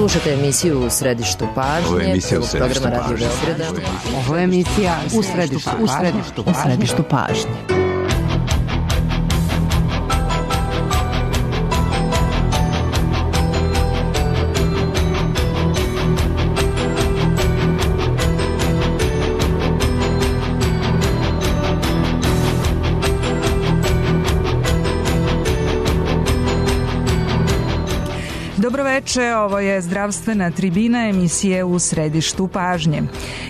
Slušate emisiju U središtu pažnje. Ovo je emisija U središtu programa Radio Beograda. Ovo je emisija U središtu pažnje. Dobroveče, ovo je zdravstvena tribina emisije U središtu pažnje.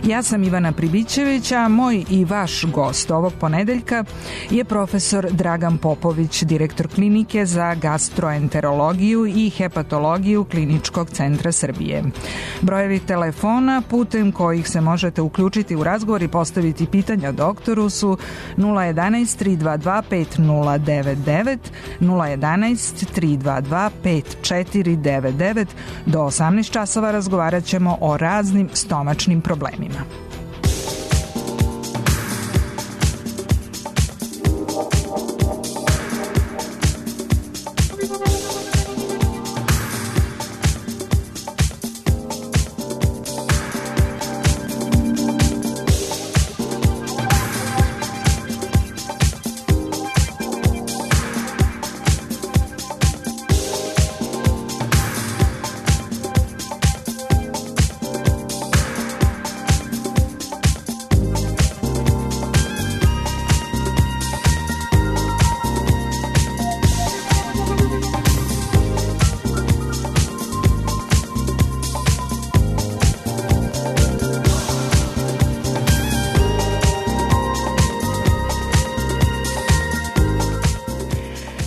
Ja sam Ivana Pribićević, a moj i vaš gost ovog ponedeljka je profesor Dragan Popović, direktor klinike za gastroenterologiju i hepatologiju Kliničkog centra Srbije. Brojevi telefona putem kojih se možete uključiti u razgovor i postaviti pitanja doktoru su 011 322 5099, 011 322 5499. Do 18 časova razgovarat ćemo o raznim stomačnim problemima.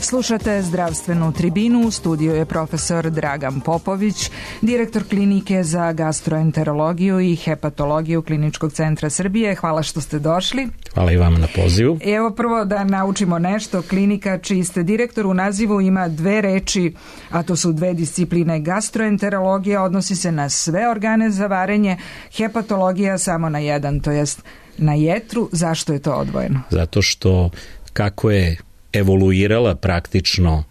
Slušate zdravstvenu tribinu, u studiju je profesor Dragan Popović, direktor klinike za gastroenterologiju i hepatologiju Kliničkog centra Srbije. Hvala što ste došli. Hvala i vama na pozivu. Evo prvo da naučimo nešto. Klinika čiji ste direktor u nazivu ima dve reči, a to su dve discipline. Gastroenterologija odnosi se na sve organe za varenje, hepatologija samo na jedan, to jest na jetru. Zašto je to odvojeno? Zato što kako je evoluirala praktično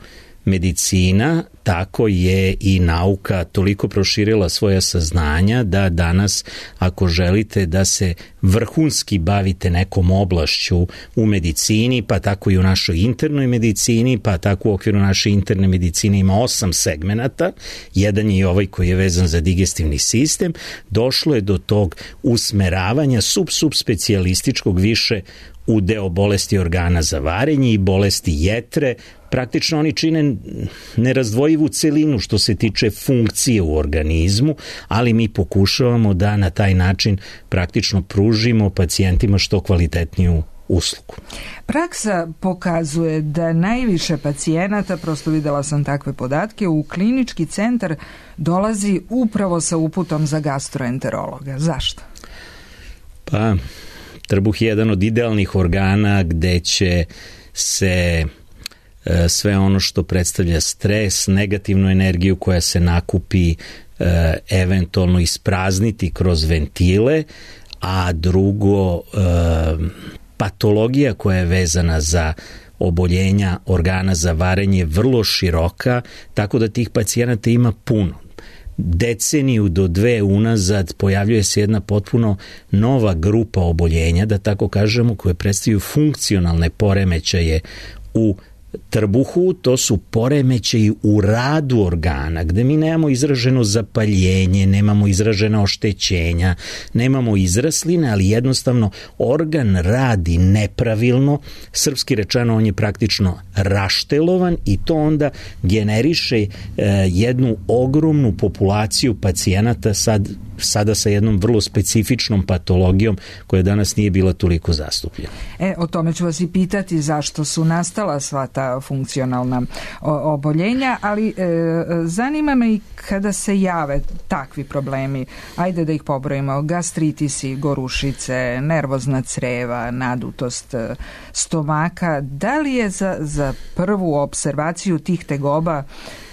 medicina, tako je i nauka toliko proširila svoja saznanja da danas ako želite da se vrhunski bavite nekom oblašću u medicini, pa tako i u našoj internoj medicini, pa tako u okviru naše interne medicine ima 8 segmenata, jedan je i ovaj koji je vezan za digestivni sistem, došlo je do tog usmeravanja subspecijalističkog više u deo bolesti organa za varenje i bolesti jetre. Praktično oni čine nerazdvojivu celinu što se tiče funkcije u organizmu, ali mi pokušavamo da na taj način praktično pružimo pacijentima što kvalitetniju uslugu. Praksa pokazuje da najviše pacijenata, prosto videla sam takve podatke, u klinički centar dolazi upravo sa uputom za gastroenterologa. Zašto? Pa trbuh je jedan od idealnih organa gde će se sve ono što predstavlja stres, negativnu energiju koja se nakupi eventualno isprazniti kroz ventile, a drugo patologija koja je vezana za oboljenja organa za varenje je vrlo široka, tako da tih pacijenata ima puno. Deceniju do 2 unazad pojavljuje se jedna potpuno nova grupa oboljenja, da tako kažemo, koje predstavljaju funkcionalne poremećaje u trbuhu, to su poremećaji u radu organa, gde mi nemamo izraženo zapaljenje, nemamo izražena oštećenja, nemamo izrasline, ali jednostavno organ radi nepravilno, srpski rečeno on je praktično raštelovan i to onda generiše jednu ogromnu populaciju pacijenata sada sa jednom vrlo specifičnom patologijom koja danas nije bila toliko zastupljena. O tome ću vas i pitati zašto su nastala sva ta funkcionalna oboljenja, ali zanima me i kada se jave takvi problemi, ajde da ih pobrojimo, gastritisi, gorušice, nervozna creva, nadutost stomaka, da li je za prvu observaciju tih tegoba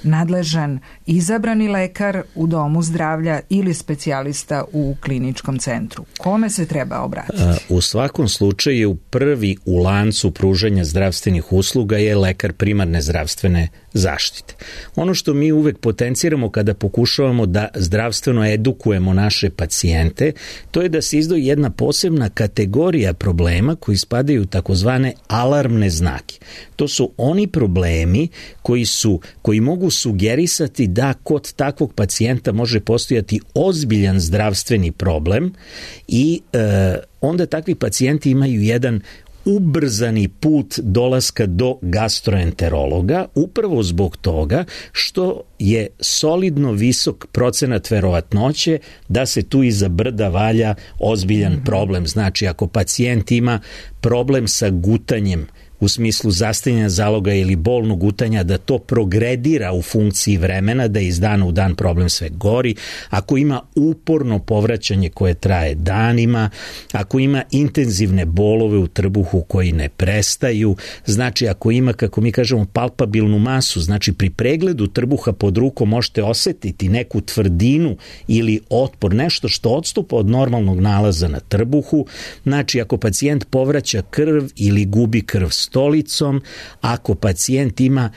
nadležan izabrani lekar u domu zdravlja ili specijalista u kliničkom centru? Kome se treba obratiti? U svakom slučaju prvi u lancu pružanja zdravstvenih usluga je lekar primarne zdravstvene zaštite. Ono što mi uvek potenciramo kada pokušavamo da zdravstveno edukujemo naše pacijente, to je da se izdvoji jedna posebna kategorija problema koji spadaju u takozvane alarmne znake. To su oni problemi koji mogu sugerisati da kod takvog pacijenta može postojati ozbiljan zdravstveni problem i onda takvi pacijenti imaju jedan ubrzani put dolaska do gastroenterologa upravo zbog toga što je solidno visok procenat verovatnoće da se tu iza brda valja ozbiljan problem. Znači, ako pacijent ima problem sa gutanjem u smislu zastajanja zaloga ili bolnog gutanja, da to progredira u funkciji vremena, da iz dana u dan problem sve gori, ako ima uporno povraćanje koje traje danima, ako ima intenzivne bolove u trbuhu koji ne prestaju, znači ako ima, kako mi kažemo, palpabilnu masu, znači pri pregledu trbuha pod rukom možete osetiti neku tvrdinu ili otpor, nešto što odstupa od normalnog nalaza na trbuhu, znači ako pacijent povraća krv ili gubi krv stolicom, ako pacijent ima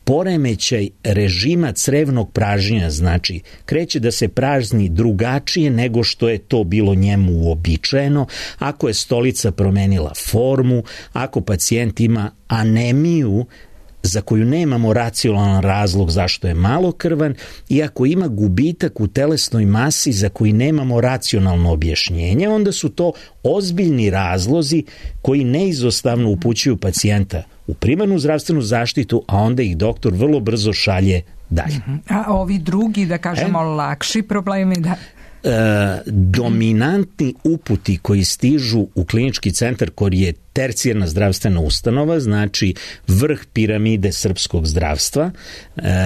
poremećaj režima crevnog pražnjenja, znači kreće da se prazni drugačije nego što je to bilo njemu uobičajeno, ako je stolica promenila formu, ako pacijent ima anemiju za koju nemamo racionalan razlog zašto je malokrvan i ako ima gubitak u telesnoj masi za koji nemamo racionalno objašnjenje, onda su to ozbiljni razlozi koji neizostavno upućuju pacijenta u primarnu zdravstvenu zaštitu, a onda ih doktor vrlo brzo šalje dalje. A ovi drugi, da kažemo, lakši problemi, da... Dominantni uputi koji stižu u klinički centar koji je tercijarna zdravstvena ustanova, znači vrh piramide srpskog zdravstva,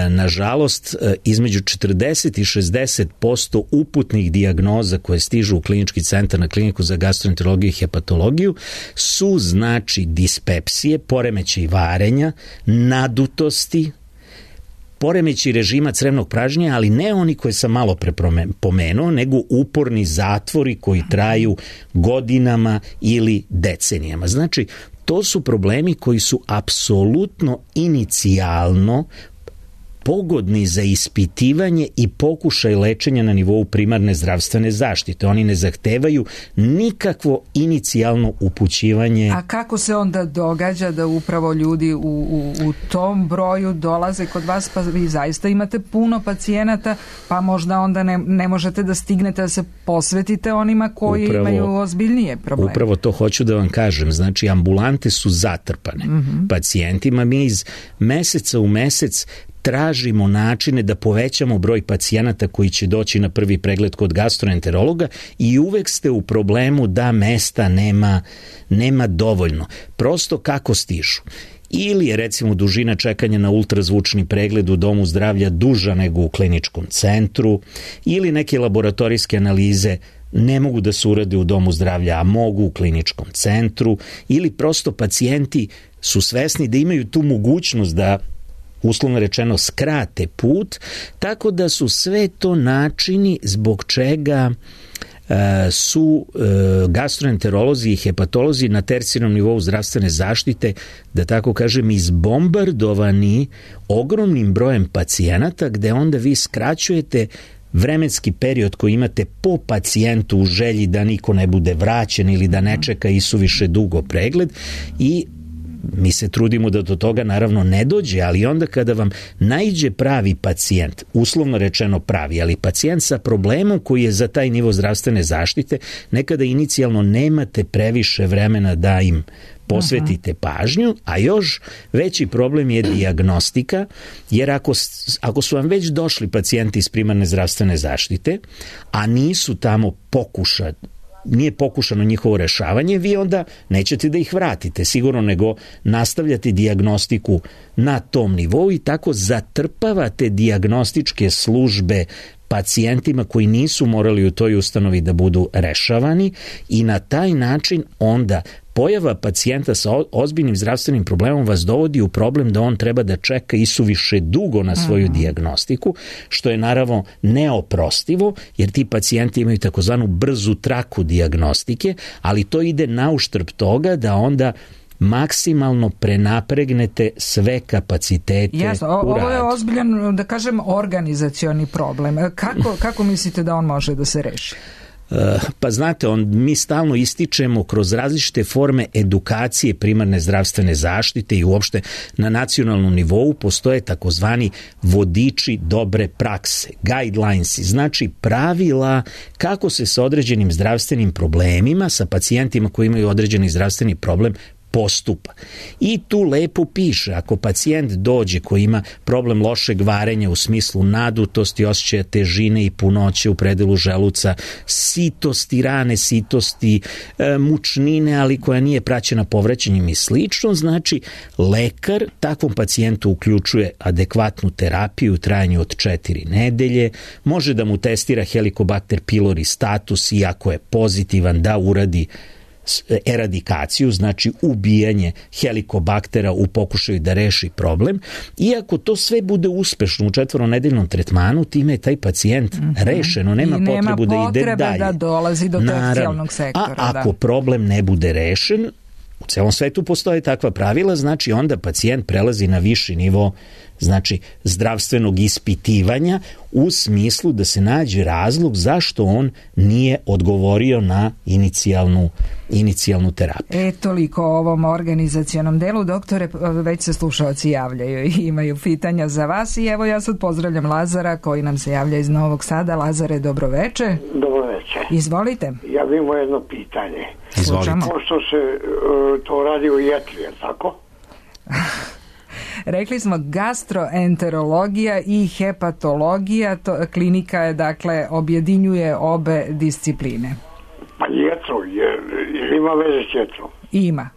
nažalost između 40 i 60% uputnih dijagnoza koje stižu u klinički centar na kliniku za gastroenterologiju i hepatologiju su znači dispepsije, poremećaj varenja, nadutosti, poremeći režima crevnog pražnjenja, ali ne oni koje sam malo pomenuo, nego uporni zatvori koji traju godinama ili decenijama. Znači, to su problemi koji su apsolutno inicijalno pogodni za ispitivanje i pokušaj lečenja na nivou primarne zdravstvene zaštite. Oni ne zahtevaju nikakvo inicijalno upućivanje. A kako se onda događa da upravo ljudi u tom broju dolaze kod vas, pa vi zaista imate puno pacijenata, pa možda onda ne možete da stignete da se posvetite onima koji imaju ozbiljnije probleme. Upravo to hoću da vam kažem. Znači, ambulante su zatrpane pacijentima. Mi iz meseca u mesec tražimo načine da povećamo broj pacijenata koji će doći na prvi pregled kod gastroenterologa i uvek ste u problemu da mesta nema dovoljno. Prosto kako stižu? Ili je recimo dužina čekanja na ultrazvučni pregled u domu zdravlja duža nego u kliničkom centru, ili neke laboratorijske analize ne mogu da se urade u domu zdravlja, a mogu u kliničkom centru, ili prosto pacijenti su svesni da imaju tu mogućnost da uslovno rečeno skrate put, tako da su sve to načini zbog čega su gastroenterolozi i hepatolozi na tercijarnom nivou zdravstvene zaštite, da tako kažem, izbombardovani ogromnim brojem pacijenata, gde onda vi skraćujete vremenski period koji imate po pacijentu u želji da niko ne bude vraćen ili da ne čeka isuviše dugo pregled i mi se trudimo da do toga naravno ne dođe, ali onda kada vam naiđe pravi pacijent, uslovno rečeno pravi, ali pacijent sa problemom koji je za taj nivo zdravstvene zaštite, nekada inicijalno nemate previše vremena da im posvetite pažnju, a još veći problem je dijagnostika, jer ako su vam već došli pacijenti iz primarne zdravstvene zaštite, a nisu tamo nije pokušano njihovo rešavanje, vi onda nećete da ih vratite sigurno, nego nastavljate dijagnostiku na tom nivou i tako zatrpavate dijagnostičke službe pacijentima koji nisu morali u toj ustanovi da budu rešavani i na taj način onda pojava pacijenta sa ozbiljnim zdravstvenim problemom vas dovodi u problem da on treba da čeka isuviše dugo na svoju dijagnostiku, što je naravno neoprostivo, jer ti pacijenti imaju takozvanu brzu traku dijagnostike, ali to ide na uštrb toga da onda maksimalno prenapregnete sve kapacitete. Jasno, ovo je ozbiljan, da kažem, organizacioni problem. Kako mislite da on može da se reši? Pa znate, mi stalno ističemo kroz različite forme edukacije primarne zdravstvene zaštite i uopšte na nacionalnom nivou postoje takozvani vodiči dobre prakse, guidelines, znači pravila kako se sa određenim zdravstvenim problemima, sa pacijentima koji imaju određeni zdravstveni problem postupa. I tu lepo piše, ako pacijent dođe koji ima problem lošeg varenja u smislu nadutosti, osjećaja težine i punoće u predelu želuca, sitosti, rane sitosti, mučnine, ali koja nije praćena povraćanjem i slično, znači lekar takvom pacijentu uključuje adekvatnu terapiju u trajanju od 4 nedelje, može da mu testira Helicobacter pylori status i ako je pozitivan da uradi eradikaciju, znači ubijanje helikobaktera u pokušaju da reši problem. Iako to sve bude uspešno u 4-nedeljnom tretmanu, time je taj pacijent rešeno, nema potrebu da ide dalje. Da dolazi do tercijalnog sektora. A ako problem ne bude rešen, u celom svetu postoje takva pravila, znači onda pacijent prelazi na viši nivo, znači zdravstvenog ispitivanja u smislu da se nađe razlog zašto on nije odgovorio na inicijalnu terapiju. Toliko o ovom organizacionom delu. Doktore, već se slušaoci javljaju i imaju pitanja za vas i evo ja sad pozdravljam Lazara koji nam se javlja iz Novog Sada. Lazare, dobroveče. Dobroveče. Izvolite. Ja bih imao jedno pitanje. Izvolite. Pošto se to radi u jetri, je tako? Rekli smo gastroenterologija i hepatologija, klinika je, dakle, objedinjuje obe discipline. Pa jetro, jer ima veze s jetrom? Ima.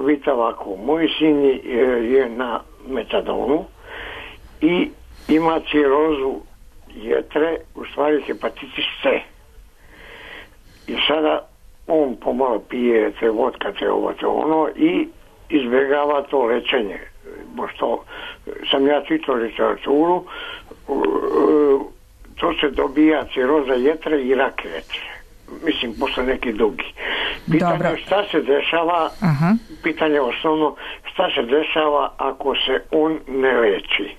Vidite ovako, moj sin je na metadonu i ima cirozu jetre, u stvari hepatitis C. I sada on pomalo pije te vodka, te ovo, te ono i izbjegava to lečenje. Pošto sam ja čitao literaturu, to se dobija ciroza jetre i rak jetre. Mislim, posle neki dugi. Pitanje šta se dešava, pitanje osnovno, šta se dešava ako se on ne leči?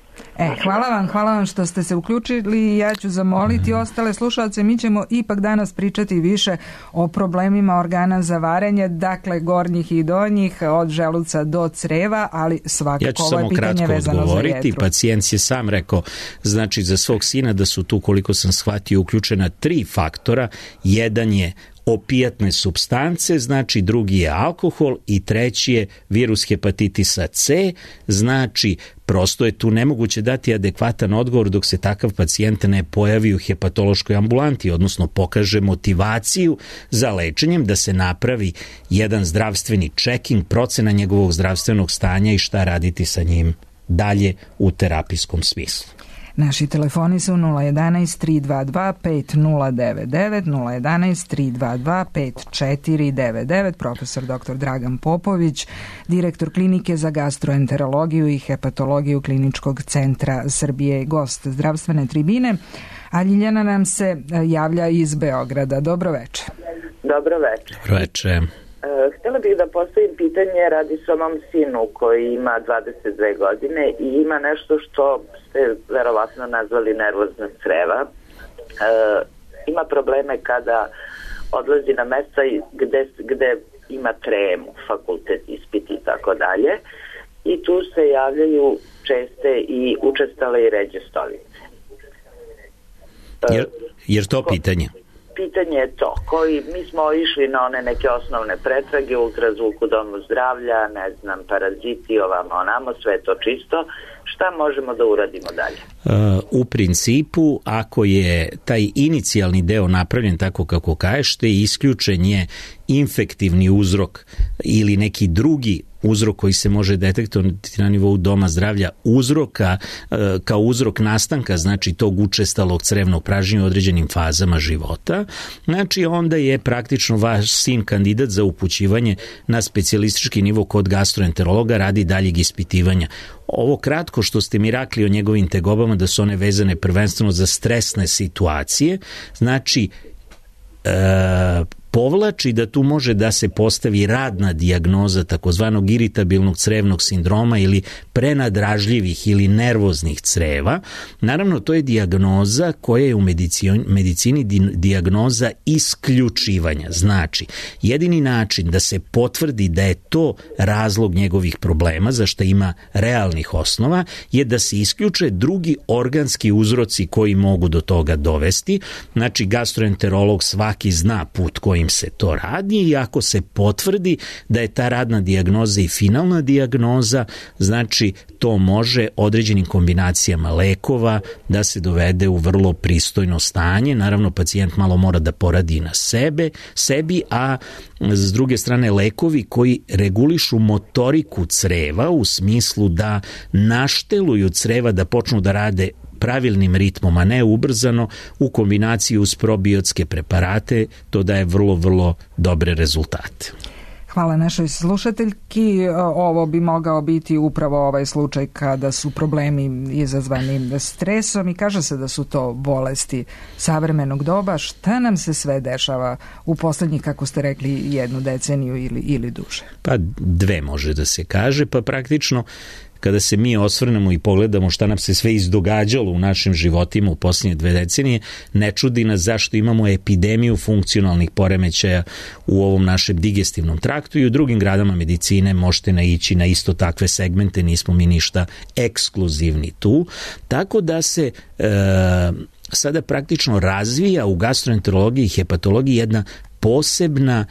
Hvala vam što ste se uključili. Ja ću zamoliti ostale slušalce. Mi ćemo ipak danas pričati više o problemima organa za varenje, dakle gornjih i donjih, od želuca do creva, ali svakako ovo je pitanje vezano za jetru. Ja ću samo kratko odgovoriti. Pacijent je sam rekao, znači za svog sina da su tu, koliko sam shvatio, uključena 3 faktora. Jedan je opijatne supstance, znači drugi je alkohol i treći je virus hepatitisa C, znači prosto je tu nemoguće dati adekvatan odgovor dok se takav pacijent ne pojavi u hepatološkoj ambulanti, odnosno pokaže motivaciju za lečenjem, da se napravi jedan zdravstveni checking, procena njegovog zdravstvenog stanja i šta raditi sa njim dalje u terapijskom smislu. Naši telefoni su 011-322-5099, 011-322-5499. Profesor dr. Dragan Popović, direktor klinike za gastroenterologiju i hepatologiju Kliničkog centra Srbije, gost zdravstvene tribine. A Ljiljana nam se javlja iz Beograda. Dobroveče. Dobroveče. Dobroveče. Htjela bih da postavim pitanje, radi se o mom sinu koji ima 22 godine i ima nešto što ste verovatno nazvali nervozna creva. Ima probleme kada odlazi na mesta gde ima tremu, fakultet, ispit i tako dalje, i tu se javljaju česte i učestale i ređe stolice. Jer to pitanje? Pitanje je to, mi smo išli na one neke osnovne pretrage, ultrazvuk u domu zdravlja, ne znam, paraziti, ovamo, onamo, sve to čisto. Šta možemo da uradimo dalje? U principu, ako je taj inicijalni deo napravljen tako kako kažete, isključen je infektivni uzrok ili neki drugi uzrok koji se može detektovati na nivou doma zdravlja uzroka, kao uzrok nastanka, znači tog učestalog crevnog pražnjenja u određenim fazama života, znači onda je praktično vaš sin kandidat za upućivanje na specijalistički nivo kod gastroenterologa radi daljeg ispitivanja. Ovo kratko što ste mi rekli o njegovim tegobama, da su one vezane prvenstveno za stresne situacije, znači povlači da tu može da se postavi radna dijagnoza takozvanog iritabilnog crevnog sindroma ili prenadražljivih ili nervoznih creva. Naravno, to je dijagnoza koja je u medicini dijagnoza isključivanja. Znači, jedini način da se potvrdi da je to razlog njegovih problema, za što ima realnih osnova, je da se isključe drugi organski uzroci koji mogu do toga dovesti. Znači, gastroenterolog svaki zna put kojim se to radi i ako se potvrdi da je ta radna dijagnoza i finalna dijagnoza, znači to može određenim kombinacijama lekova da se dovede u vrlo pristojno stanje. Naravno, pacijent malo mora da poradi na sebi, a s druge strane lekovi koji regulišu motoriku creva u smislu da našteluju creva da počnu da rade pravilnim ritmom, a ne ubrzano, u kombinaciji uz probiotske preparate, to daje vrlo, vrlo dobre rezultate. Hvala našoj slušateljki. Ovo bi mogao biti upravo ovaj slučaj kada su problemi izazvani stresom i kaže se da su to bolesti savremenog doba. Šta nam se sve dešava u poslednjih, kako ste rekli, 1 deceniju ili duže? Pa 2 može da se kaže, pa praktično kada se mi osvrnemo i pogledamo šta nam se sve izdogađalo u našim životima u posljednje 2 decenije, ne čudi nas zašto imamo epidemiju funkcionalnih poremećaja u ovom našem digestivnom traktu i u drugim granama medicine možete naići na isto takve segmente, nismo mi ništa ekskluzivni tu. Tako da se sada praktično razvija u gastroenterologiji i hepatologiji jedna posebna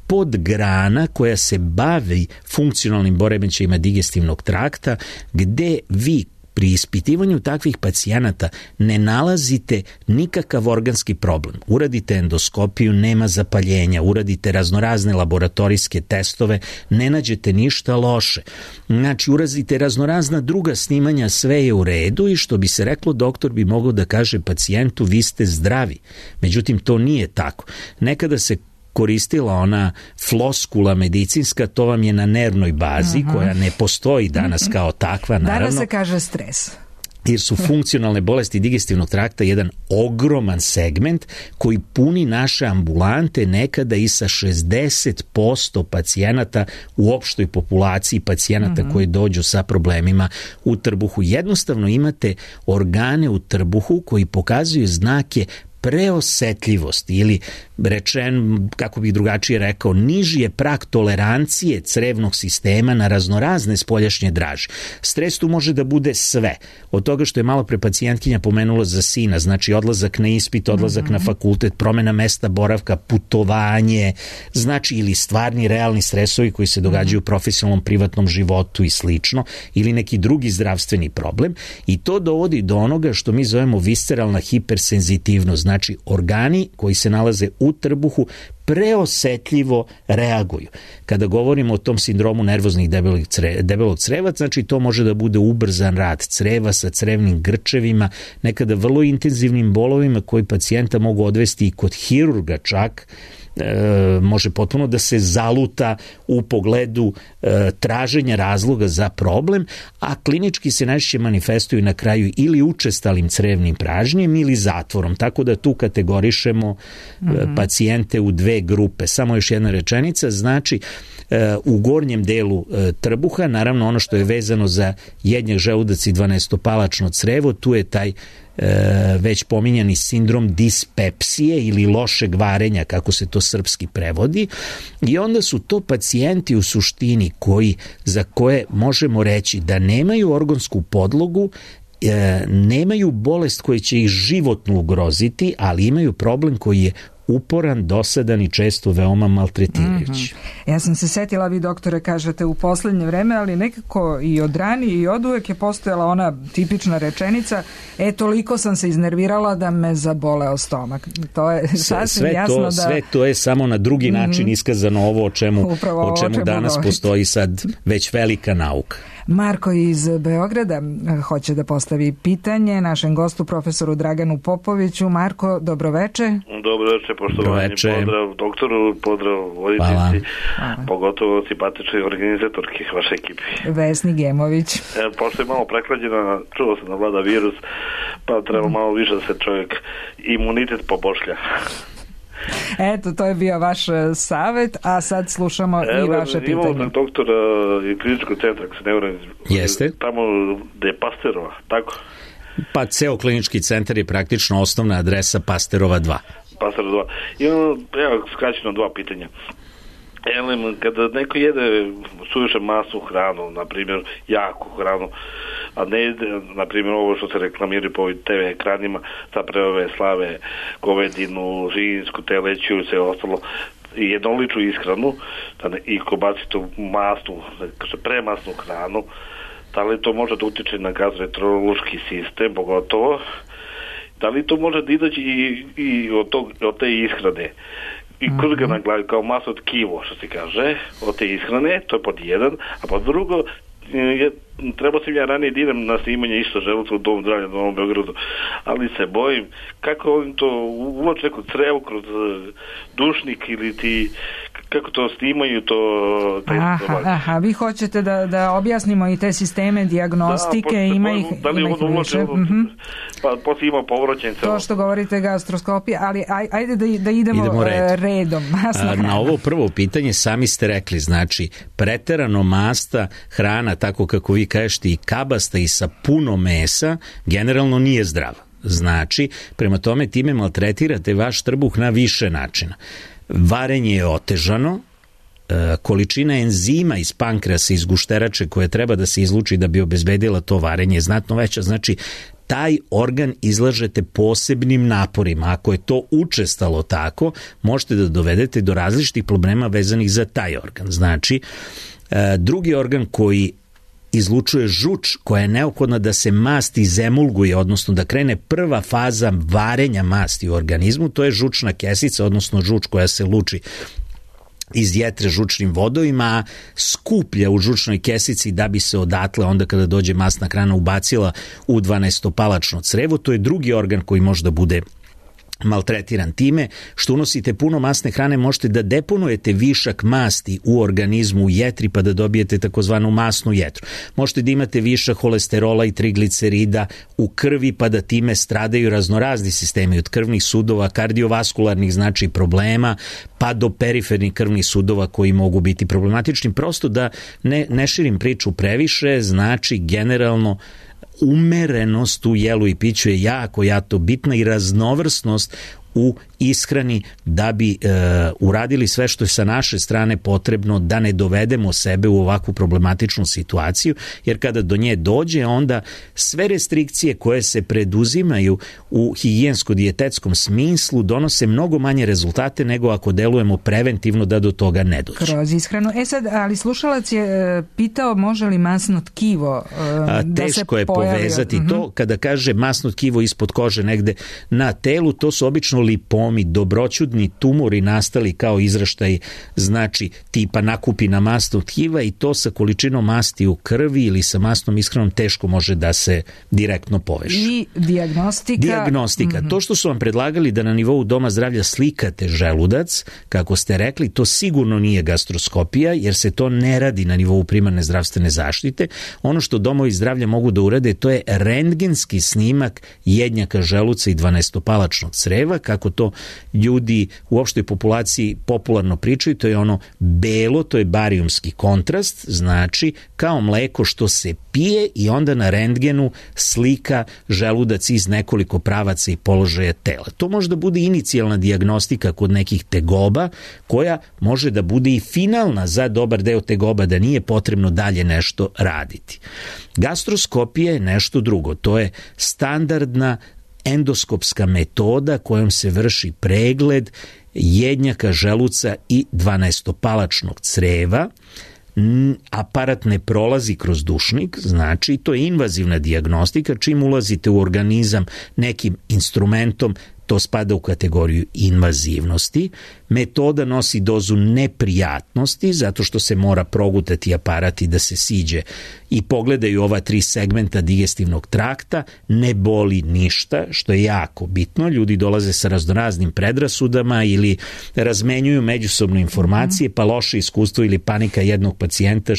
podgrana koja se bavi funkcionalnim poremećajima digestivnog trakta, gde vi pri ispitivanju takvih pacijenata ne nalazite nikakav organski problem. Uradite endoskopiju, nema zapaljenja, uradite raznorazne laboratorijske testove, ne nađete ništa loše. Znači, uradite raznorazna druga snimanja, sve je u redu i što bi se reklo, doktor bi mogao da kaže pacijentu vi ste zdravi. Međutim, to nije tako. Nekada se koristila ona floskula medicinska, to vam je na nervnoj bazi, koja ne postoji danas kao takva, naravno. Danas se kaže stres. Jer su funkcionalne bolesti digestivnog trakta jedan ogroman segment koji puni naše ambulante nekada i sa 60% pacijenata u opštoj populaciji pacijenata koji dođu sa problemima u trbuhu. Jednostavno imate organe u trbuhu koji pokazuju znake preosetljivosti ili rečen, kako bih drugačije rekao, niži je prag tolerancije crevnog sistema na raznorazne spoljašnje draže. Stres tu može da bude sve. Od toga što je malo pre pacijentkinja pomenula za sina, znači odlazak na ispit, odlazak na fakultet, promena mesta boravka, putovanje, znači ili stvarni realni stresovi koji se događaju u profesionalnom privatnom životu i slično, ili neki drugi zdravstveni problem, i to dovodi do onoga što mi zovemo visceralna hipersenzitivnost. Znači, organi koji se nalaze u trbuhu preosetljivo reaguju. Kada govorimo o tom sindromu nervoznih debelog creva, znači to može da bude ubrzan rad creva sa crevnim grčevima, nekada vrlo intenzivnim bolovima koji pacijenta mogu odvesti i kod hirurga čak, može potpuno da se zaluta u pogledu traženja razloga za problem, a klinički se najčešće manifestuju na kraju ili učestalim crevnim pražnjem ili zatvorom, tako da tu kategorišemo pacijente u 2 grupe. Samo još jedna rečenica, znači u gornjem delu trbuha, naravno ono što je vezano za jednjak, želudac i 12-palačno crevo, tu je taj već pominjani sindrom dispepsije ili lošeg varenja, kako se to srpski prevodi, i onda su to pacijenti u suštini za koje možemo reći da nemaju organsku podlogu, nemaju bolest koja će ih životno ugroziti, ali imaju problem koji je uporan, dosadan i često veoma maltretirajući. Ja sam se setila, vi doktore kažete u poslednje vreme, ali nekako i od ranije i od uvek je postojala ona tipična rečenica, toliko sam se iznervirala da me zaboleo stomak. To je sasvim jasno da... Sve to je samo na drugi način iskazano ovo o čemu danas postoji sad već velika nauka. Marko iz Beograda hoće da postavi pitanje našem gostu, profesoru Draganu Popoviću. Marko, dobroveče. Dobroveče, poštovanje. Pozdrav doktoru, pozdrav voditeljici, pogotovo simpatičnoj organizatorki vaše ekipi. Vesni Gemović. Pošto je malo preklađena, čuo sam da vlada virus, pa treba malo više da se čovjek imunitet pobošlja. Eto, to je bio vaš savjet, a sad slušamo i vaše pitanje. Imamo doktora i kliničkog centra, ako se ne vrem, tamo gde je Pasterova, tako? Pa ceo klinički centar je praktično osnovna adresa Pasterova 2. Pasterova 2. I ono, evo, skraćeno 2 pitanja. Kada neko jede suviše masnu hranu, na primjer jaku hranu, a ne jede, na primjer ovo što se reklamiraju po TV ekranima, zapravo slave, govedinu, živinsku, teleću i sve ostalo, i jednoličnu ishranu, i ko baci tu masnu, premasnu hranu, da li to može da utiče na gastroenterološki sistem, pogotovo, da li to može da izaći i od te ishrane, i krga na glavi kao maso tkivo, što se kaže, od te ishrane, to je pod jedan, a pod drugo, trebao sam ja ranije da idem na snimanje isto želuca u Dom zdravlja na Novom Beogradu, ali se bojim kako ovim to uvlače kod crevu, kroz dušnik ili ti, kako to snimaju to... Aha, vi hoćete da objasnimo i te sisteme dijagnostike, ima ih više. Pa poslije ima povraćanje. To što govorite gastroskopija, ali ajde da idemo redom. Na ovo prvo pitanje sami ste rekli, znači preterano masta hrana, tako kako vi kažete, i kabasta i sa puno mesa, generalno nije zdrava. Znači, prema tome time maltretirate vaš trbuh na više načina. Varenje je otežano, količina enzima iz pankreasa, iz gušterače koje treba da se izluči da bi obezbedila to varenje je znatno veća. Znači, taj organ izlažete posebnim naporima. Ako je to učestalo tako, možete da dovedete do različitih problema vezanih za taj organ. Znači, drugi organ koji izlučuje žuč koja je neophodna da se mast izemulguje, odnosno da krene prva faza varenja masti u organizmu, to je žučna kesica, odnosno žuč koja se luči iz jetre žučnim vodovima, skuplja u žučnoj kesici da bi se odatle onda kada dođe masna hrana ubacila u 12-palačno crevo. To je drugi organ koji može da bude maltretiran. Time što unosite puno masne hrane možete da deponujete višak masti u organizmu, u jetri, pa da dobijete takozvanu masnu jetru. Možete da imate višak holesterola i triglicerida u krvi, pa da time stradaju raznorazni sistemi, od krvnih sudova, kardiovaskularnih znači problema, pa do perifernih krvnih sudova koji mogu biti problematični. Prosto da ne širim priču previše, znači generalno umerenost u jelu i piću je jako bitna i raznovrsnost u ishrani da bi uradili sve što je sa naše strane potrebno da ne dovedemo sebe u ovakvu problematičnu situaciju, jer kada do nje dođe onda sve restrikcije koje se preduzimaju u higijensko-dijetetskom smislu donose mnogo manje rezultate nego ako delujemo preventivno da do toga ne dođe. Kroz ishranu. Sad, ali slušalac je pitao može li masno tkivo da se teško je povezati to. Kada kaže masno tkivo ispod kože negde na telu, to su obično lipomi, dobroćudni tumori nastali kao izraštaj, znači tipa nakupina masnog tkiva, i to sa količinom masti u krvi ili sa masnom ishranom teško može da se direktno poveže. I dijagnostika. To što su vam predlagali da na nivou Doma zdravlja slikate želudac, kako ste rekli, to sigurno nije gastroskopija, jer se to ne radi na nivou primarne zdravstvene zaštite. Ono što domovi zdravlja mogu da urade, to je rentgenski snimak jednjaka želuca i 12-palačnog creva, kako to ljudi u opštoj populaciji popularno pričaju, to je ono belo, to je barijumski kontrast, znači kao mleko što se pije i onda na rentgenu slika želudac iz nekoliko pravaca i položaja tela. To može da bude inicijalna dijagnostika kod nekih tegoba, koja može da bude i finalna za dobar deo tegoba, da nije potrebno dalje nešto raditi. Gastroskopija je nešto drugo, to je standardna endoskopska metoda kojom se vrši pregled jednjaka, želuca i dvanaestopalačnog creva. Aparat ne prolazi kroz dušnik, znači to je invazivna dijagnostika. Čim ulazite u organizam nekim instrumentom, to spada u kategoriju invazivnosti. Metoda nosi dozu neprijatnosti zato što se mora progutati aparat i da se siđe i pogledaju ova 3 segmenta digestivnog trakta. Ne boli ništa, što je jako bitno. Ljudi dolaze sa raznoraznim predrasudama ili razmenjuju međusobno informacije, pa loše iskustvo ili panika jednog pacijenta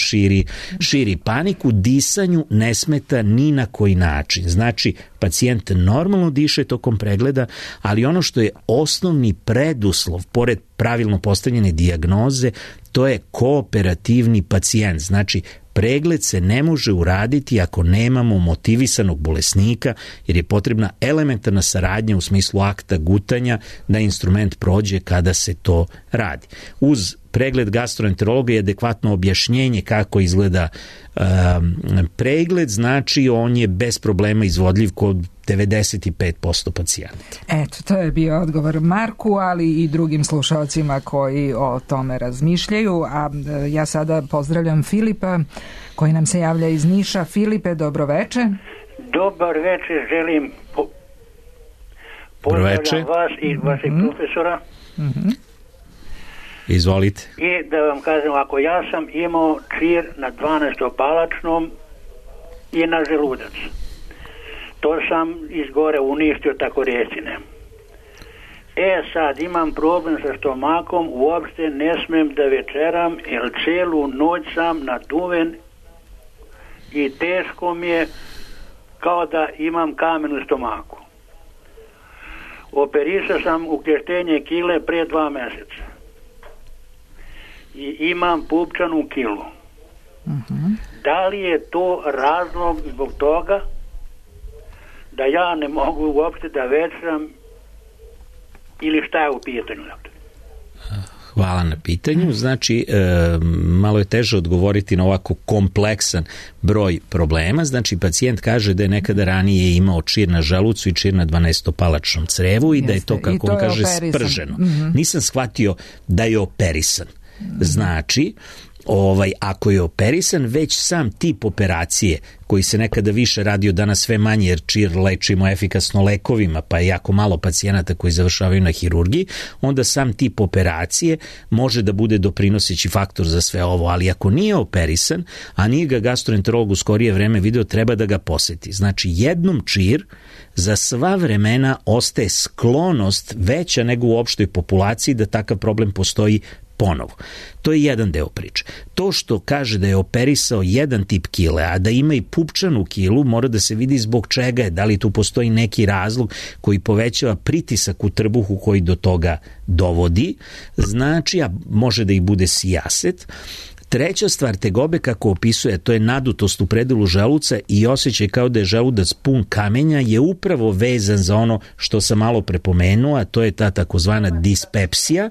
širi paniku. Disanju ne smeta ni na koji način. Znači, pacijent normalno diše tokom pregleda, ali ono što je osnovni preduslov, pored pravilno postavljene dijagnoze, to je kooperativni pacijent. Znači, pregled se ne može uraditi ako nemamo motivisanog bolesnika, jer je potrebna elementarna saradnja u smislu akta gutanja da instrument prođe kada se to radi. Uz pregled gastroenterologa je adekvatno objašnjenje kako izgleda pregled, znači on je bez problema izvodljiv kod 95% pacijenta. Eto, to je bio odgovor Marku, ali i drugim slušalcima koji o tome razmišljaju, a ja sada pozdravljam Filipa koji nam se javlja iz Niša. Filipe, dobroveče. Dobar večer, želim pozdravljam vas i vašeg profesora. Izvolite. I da vam kažem, ako ja sam imao čir na 12-palačnom i na želudac. To sam izgore uništio, tako recine. Sad imam problem sa stomakom, uopšte ne smem da večeram, jer celu noć sam naduven i teško mi je, kao da imam kamen u stomaku. Operisao sam ukrštenje kile pre 2 meseca. I imam pupčanu kilu. Da li je to razlog zbog toga da ja ne mogu uopšte da večeram ili šta je u pitanju? Hvala na pitanju. Znači, malo je teže odgovoriti na ovako kompleksan broj problema. Znači, pacijent kaže da je nekada ranije imao čir na želucu i čir na 12-palačnom crevu i da je to, kako on kaže, sprženo. Nisam shvatio da je operisan. Znači, ako je operisan, već sam tip operacije koji se nekada više radio, danas sve manje, jer čir lečimo efikasno lekovima, pa je jako malo pacijenata koji završavaju na hirurgiji, onda sam tip operacije može da bude doprinoseći faktor za sve ovo, ali ako nije operisan, a nije ga gastroenterolog u skorije vreme video, treba da ga poseti. Znači, jednom čir za sva vremena ostaje sklonost veća nego u opštoj populaciji da takav problem postoji ponovo. To je jedan deo priče. To što kaže da je operisao jedan tip kile, a da ima i pupčanu kilu, mora da se vidi zbog čega je, da li tu postoji neki razlog koji povećava pritisak u trbuhu koji do toga dovodi, znači, a može da ih bude sijaset. Treća stvar tegobe, kako opisuje, to je nadutost u predelu želuca i osjećaj kao da je želudac pun kamenja, je upravo vezan za ono što sam malo prepomenuo, a to je ta takozvana dispepsija,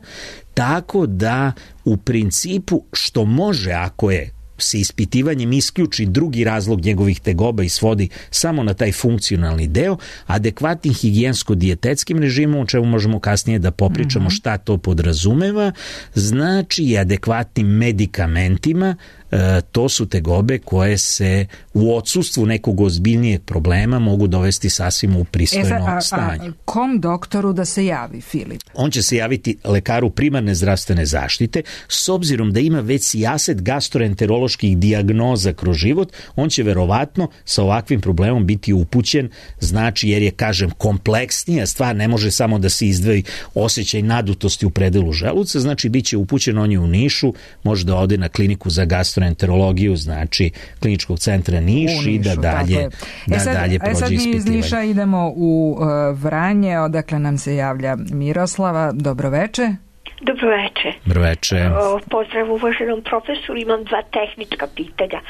tako da u principu što može, ako je se ispitivanjem isključi drugi razlog njegovih tegoba i svodi samo na taj funkcionalni deo, adekvatnim higijensko-dijetetskim režimom, o čemu možemo kasnije da popričamo šta to podrazumeva, znači i adekvatnim medikamentima, to su tegobe koje se u odsustvu nekog ozbiljnijeg problema mogu dovesti sasvim u pristojno stanje. Kom doktoru da se javi, Filip? On će se javiti lekaru primarne zdravstvene zaštite, s obzirom da ima već sijaset gastroenteroloških dijagnoza kroz život, on će verovatno sa ovakvim problemom biti upućen, znači jer je, kažem, kompleksnija stvar, ne može samo da se izdvoji osjećaj nadutosti u predelu želuca, znači bit će upućen, on je u Nišu, može da ode na kliniku za gastroenterologiju, znači kliničkog centra Niš i da dalje prođe sad mi iz ispitivanje. Niša idemo u Vranje, odakle nam se javlja Miroslava. Dobroveče. Dobroveče. Pozdrav uvaženom profesoru, imam 2 tehnička pitanja.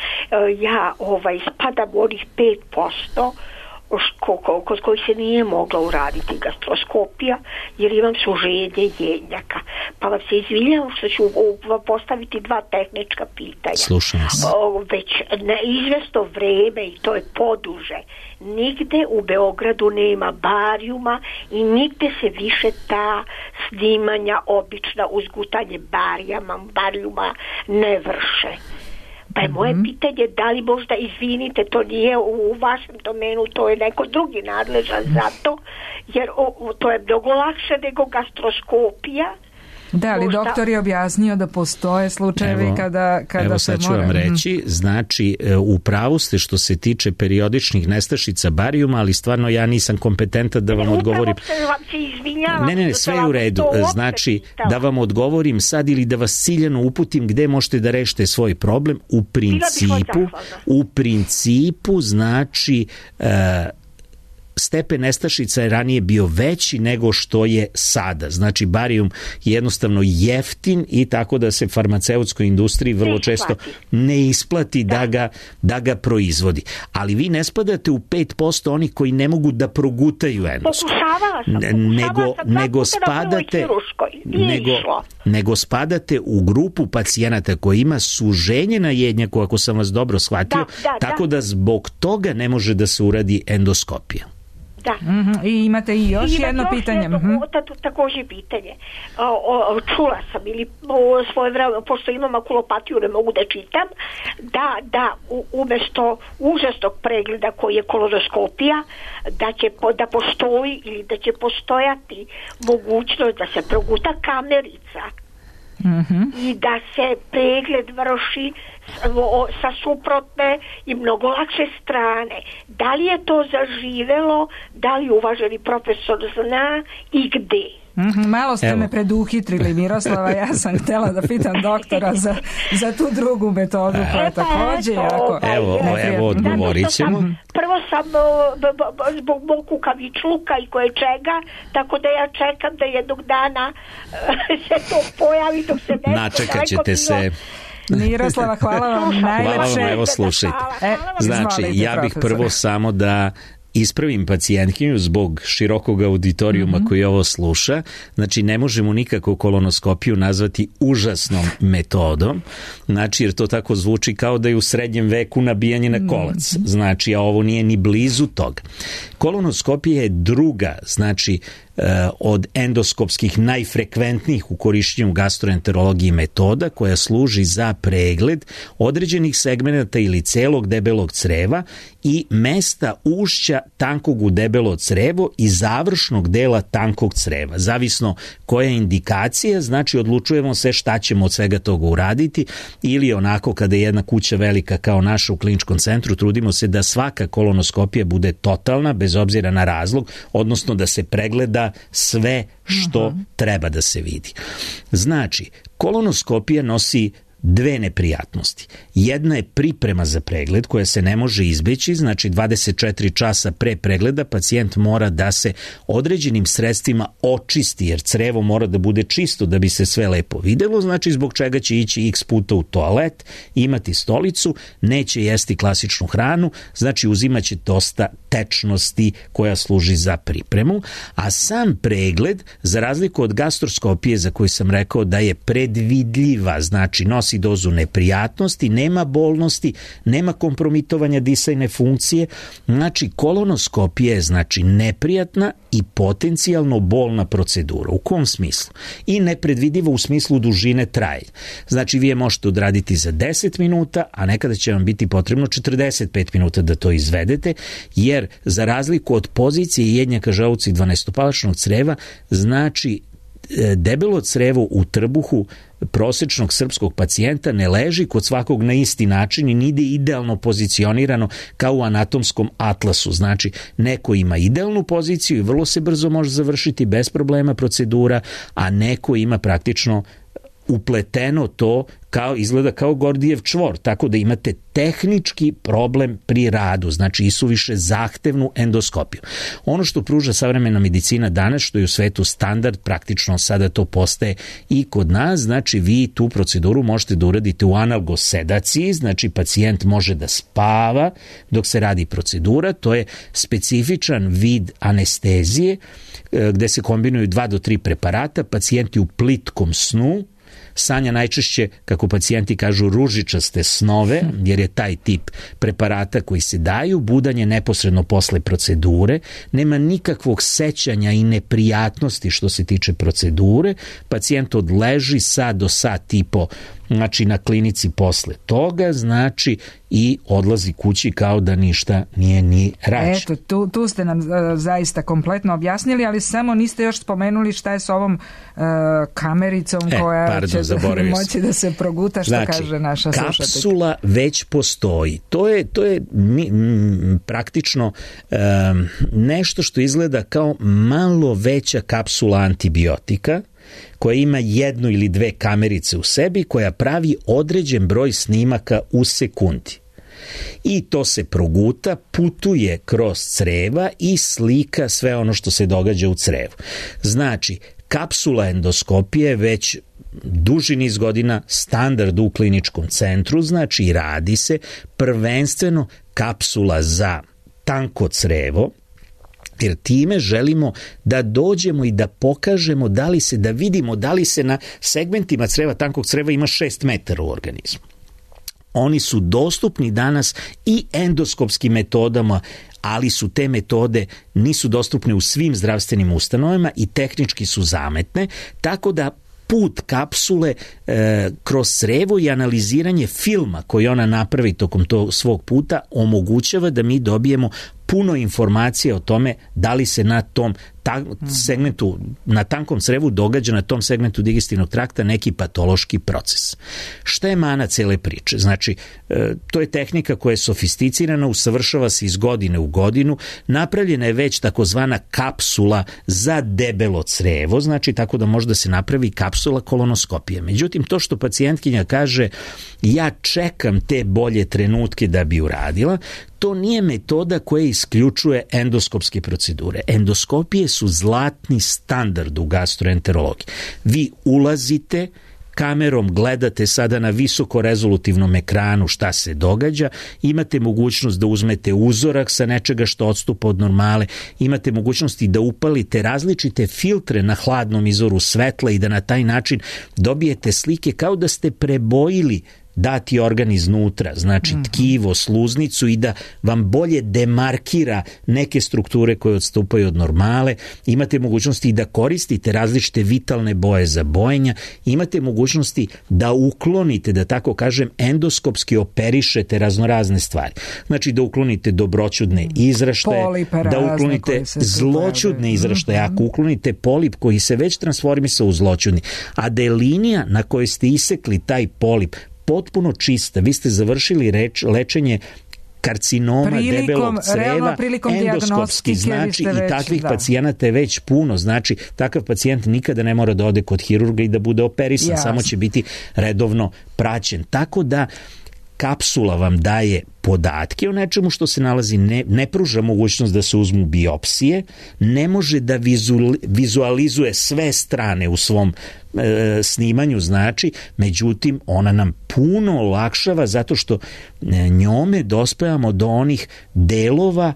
Ja spadam u onih 5% kod kojih se nije mogla uraditi gastroskopija jer imam suženje jednjaka. Pa vam se izvinjavam što ću postaviti 2 tehnička pitanja. Slušam vas. Već na izvesno vreme, i to je poduže, nigde u Beogradu nema barijuma i nigde se više ta snimanja obična uzgutanje barijuma ne vrše. Pa je moje pitanje, da li možda, izvinite, to nije u vašem domenu, to je neko drugi nadležan za to, jer to je mnogo lakše nego gastroskopija. Da, ali možda... doktor je objasnio da postoje slučajevi kada evo se sad ću mora... vam reći, znači u pravu ste što se tiče periodičnih nestašica barijuma, ali stvarno ja nisam kompetentan da vam odgovorim. Ne, sve je u redu. Znači, da vam odgovorim sad ili da vas ciljano uputim gde možete da rešite svoj problem. U principu znači... stepen nestašica je ranije bio veći nego što je sada. Znači, barijum je jednostavno jeftin i tako da se farmaceutskoj industriji vrlo često ne isplati da ga proizvodi. Ali vi ne spadate u 5% onih koji ne mogu da progutaju endoskop. Nego spadate u grupu pacijenata koji ima suženje na jednjaku, ako sam vas dobro shvatio, tako da zbog toga ne može da se uradi endoskopija. Da. I imate i još jedno pitanje. Također pitanje. Čula sam ili svoje vreme, pošto imam makulopatiju, ne mogu da čitam, da umjesto užasnog pregleda koji je kolonoskopija, da postoji ili da će postojati mogućnost da se proguta kamerica i da se pregled vrši sa suprotne i mnogo lakše strane. Da li je to zaživelo, da li uvaženi profesor zna i gde? Malo ste me preduhitrili, Miroslava, ja sam htjela da pitam doktora za tu drugu metodu koja je također jako... Evo odgovorit ćemo. Prvo sam zbog mog kukavičluka i koje čega, tako da ja čekam da jednog dana se to pojavi dok se nešto... Načekat ćete se... Miroslava, hvala vam najlepše. Evo slušajte. Znači, ja bih prvo samo da ispravim pacijentkinju zbog širokog auditorijuma koji ovo sluša. Znači, ne možemo nikako kolonoskopiju nazvati užasnom metodom, znači, jer to tako zvuči kao da je u srednjem veku nabijanje na kolac. Znači, a ovo nije ni blizu toga. Kolonoskopija je druga, znači, od endoskopskih najfrekventnijih u korišćenju gastroenterologije metoda koja služi za pregled određenih segmenata ili celog debelog creva i mesta ušća tankog u debelo crevo i završnog dela tankog creva. Zavisno koja je indikacija, znači odlučujemo se šta ćemo od svega toga uraditi, ili onako kada je jedna kuća velika kao naša u kliničkom centru, trudimo se da svaka kolonoskopija bude totalna, bez obzira na razlog, odnosno da se pregleda sve što treba da se vidi. Znači, kolonoskopija nosi 2 neprijatnosti. Jedna je priprema za pregled koja se ne može izbeći, znači 24 časa pre pregleda pacijent mora da se određenim sredstvima očisti, jer crevo mora da bude čisto da bi se sve lepo videlo, znači zbog čega će ići x puta u toalet, imati stolicu, neće jesti klasičnu hranu, znači uzimaće dosta tečnosti koja služi za pripremu, a sam pregled, za razliku od gastroskopije za koju sam rekao da je predvidljiva, znači nosi dozu neprijatnosti, nema bolnosti, nema kompromitovanja disajne funkcije, znači kolonoskopija je znači neprijatna i potencijalno bolna procedura. U kom smislu? I nepredvidiva u smislu dužine trajanja. Znači vi je možete odraditi za 10 minuta, a nekada će vam biti potrebno 45 minuta da to izvedete, jer za razliku od pozicije jednjaka želuca i 12-palačnog creva, znači debelo crevo u trbuhu prosečnog srpskog pacijenta ne leži kod svakog na isti način i nide idealno pozicionirano kao u anatomskom atlasu. Znači, neko ima idealnu poziciju i vrlo se brzo može završiti bez problema procedura, a neko ima praktično upleteno to izgleda kao Gordijev čvor, tako da imate tehnički problem pri radu, znači isuviše zahtevnu endoskopiju. Ono što pruža savremena medicina danas, što je u svetu standard, praktično sada to postaje i kod nas, znači vi tu proceduru možete da uradite u analgosedaciji, znači pacijent može da spava dok se radi procedura, to je specifičan vid anestezije gde se kombinuju 2 do 3 preparata, pacijenti u plitkom snu, sanja najčešće, kako pacijenti kažu, ružičaste snove, jer je taj tip preparata koji se daju, budanje neposredno posle procedure, nema nikakvog sećanja i neprijatnosti što se tiče procedure, pacijent odleži sat do sat i po, znači na klinici posle toga, znači i odlazi kući kao da ništa nije ni rađeno. Eto, tu ste nam zaista kompletno objasnili, ali samo niste još spomenuli šta je s ovom kamericom koja će moći da se proguta, što znači, kaže naša slušateljka. Kapsula već postoji. To je praktično nešto što izgleda kao malo veća kapsula antibiotika, koja ima 1 ili 2 kamerice u sebi, koja pravi određen broj snimaka u sekundi. I to se proguta, putuje kroz creva i slika sve ono što se događa u crevu. Znači, kapsula endoskopije već duži niz godina standard u kliničkom centru, znači radi se prvenstveno kapsula za tanko crevo, jer time želimo da dođemo i da pokažemo da vidimo da li se na segmentima creva, tankog creva ima 6 metara u organizmu. Oni su dostupni danas i endoskopskim metodama, ali su te metode nisu dostupne u svim zdravstvenim ustanovama i tehnički su zametne, tako da put kapsule kroz crevo i analiziranje filma koji ona napravi tokom tog svog puta omogućava da mi dobijemo puno informacije o tome da li se na tom segmentu, na tankom crevu događa na tom segmentu digestivnog trakta neki patološki proces. Šta je mana cele priče? Znači, to je tehnika koja je sofisticirana, usavršava se iz godine u godinu, napravljena je već takozvana kapsula za debelo crevo, znači tako da može da se napravi kapsula kolonoskopije. Međutim, to što pacijentkinja kaže, ja čekam te bolje trenutke da bi uradila, to nije metoda koja isključuje endoskopske procedure. Endoskopije su zlatni standard u gastroenterologiji. Vi ulazite, kamerom gledate sada na visokorezolutivnom ekranu šta se događa, imate mogućnost da uzmete uzorak sa nečega što odstupa od normale, imate mogućnosti da upalite različite filtre na hladnom izvoru svetla i da na taj način dobijete slike kao da ste prebojili dati organ iznutra, znači tkivo, sluznicu i da vam bolje demarkira neke strukture koje odstupaju od normale. Imate mogućnosti da koristite različite vitalne boje za bojenja, imate mogućnosti da uklonite, da tako kažem, endoskopski operišete raznorazne stvari. Znači da uklonite dobroćudne izraštaje, da uklonite zloćudne izraštaje, ako uklonite polip koji se već transformisao u zloćudni, a da je linija na kojoj ste isekli taj polip potpuno čista, vi ste završili lečenje karcinoma debelog creva, endoskopski, znači i takvih pacijenata je već puno, znači takav pacijent nikada ne mora da ode kod hirurga i da bude operisan, samo će biti redovno praćen. Tako da kapsula vam daje podatke o nečemu što se nalazi, ne pruža mogućnost da se uzmu biopsije, ne može da vizualizuje sve strane u svom snimanju, znači, međutim ona nam puno olakšava zato što njome dospevamo do onih delova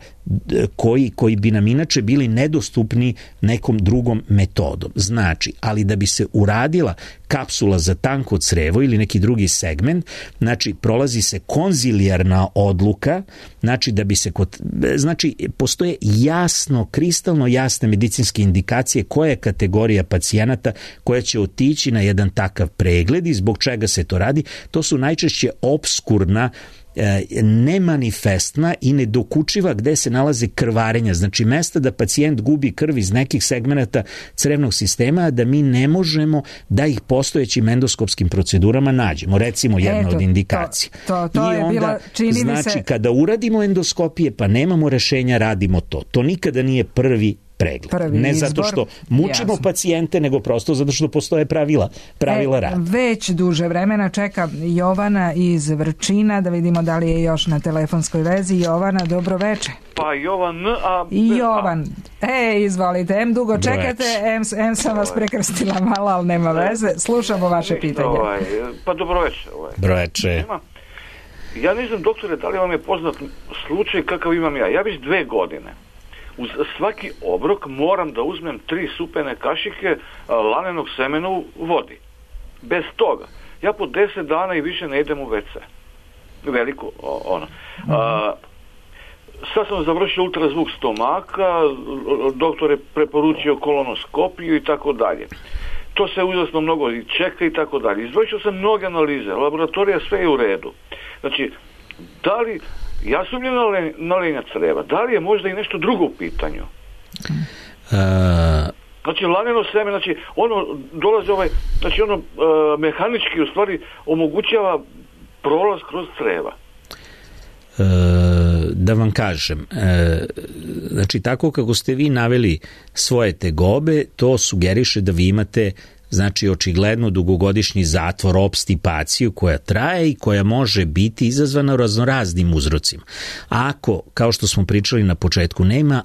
koji bi nam inače bili nedostupni nekom drugom metodom. Znači, ali da bi se uradila kapsula za tanko crevo ili neki drugi segment, znači prolazi se konzilijarna odluka, znači da bi se znači postoje jasno, kristalno jasne medicinske indikacije koja je kategorija pacijenata koja će otići na jedan takav pregled i zbog čega se to radi. To su najčešće opskurna, nemanifestna i nedokučiva gde se nalaze krvarenja, znači mesta da pacijent gubi krv iz nekih segmenata crevnog sistema, da mi ne možemo da ih postojećim endoskopskim procedurama nađemo. Recimo jedna od indikacija. To je bila, čini znači, mi se... kada uradimo endoskopije pa nemamo rešenja, radimo to. To nikada nije prvi pregled. Ne zato što mučimo pacijente, nego prosto zato što postoje pravila rada. Već duže vremena čeka Jovana iz Vrčina, da vidimo da li je još na telefonskoj vezi. Jovana, dobro veče. Pa Jovan, Jovan, izvolite, dugo čekate, sam vas prekrstila malo, ali nema veze. Slušamo vaše pitanje. Pa dobro veče. Dobro veče. Ja ne znam, doktore, da li vam je poznat slučaj kakav imam ja. Ja već 2 godine uz svaki obrok moram da uzmem 3 supene kašike lanenog semena u vodi. Bez toga. Ja po 10 dana i više ne idem u WC. Veliko ono. Sad sam završio ultrazvuk stomaka, doktor je preporučio kolonoskopiju i tako dalje. To se uzasno mnogo i čeka i tako dalje. Izvršio sam mnoge analize, laboratorija sve je u redu. Znači, da li, ja sumnjam na lenja creva, da li je možda i nešto drugo u pitanju? Znači, laneno seme, znači, ono dolazi znači, ono mehanički u stvari omogućava prolaz kroz creva. Da vam kažem, znači tako kako ste vi naveli svoje tegobe, to sugeriše da vi imate znači očigledno dugogodišnji zatvor, opstipaciju koja traje i koja može biti izazvana raznoraznim uzrocima. Ako, kao što smo pričali na početku, nema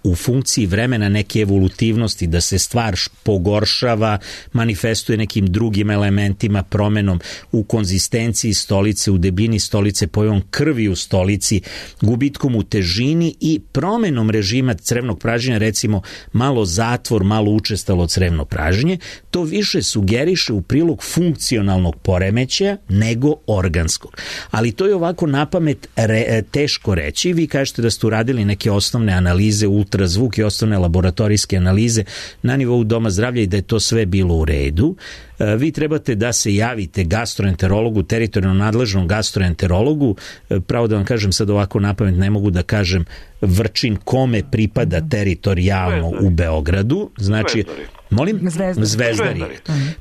u funkciji vremena neke evolutivnosti, da se stvar pogoršava, manifestuje nekim drugim elementima, promenom u konzistenciji stolice, u debljini stolice, pojavom krvi u stolici, gubitkom u težini i promenom režima crevnog pražnjenja, recimo malo zatvor, malo učestalo crevno pražnjenje, to više sugeriše u prilog funkcionalnog poremećaja nego organskog. Ali to je ovako napamet teško reći. Vi kažete da ste uradili neke osnovne analize, ultrazvuk i osnovne laboratorijske analize na nivou doma zdravlja i da je to sve bilo u redu. Vi trebate da se javite gastroenterologu, teritorijalno nadležnom gastroenterologu. Pravo da vam kažem sad ovako napamet, ne mogu da kažem Vrčin kome pripada teritorijalno u Beogradu. Znači, Zvezdari.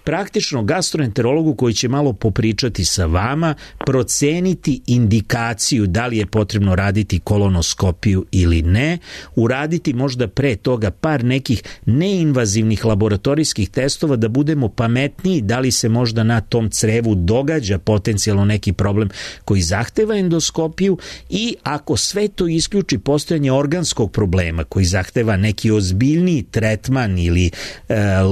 Praktično gastroenterologu koji će malo popričati sa vama, proceniti indikaciju da li je potrebno raditi kolonoskopiju ili ne, uraditi možda pre toga par nekih neinvazivnih laboratorijskih testova da budemo pametniji da li se možda na tom crevu događa potencijalno neki problem koji zahteva endoskopiju i ako sve to isključi postojanje organskog problema koji zahteva neki ozbiljniji tretman ili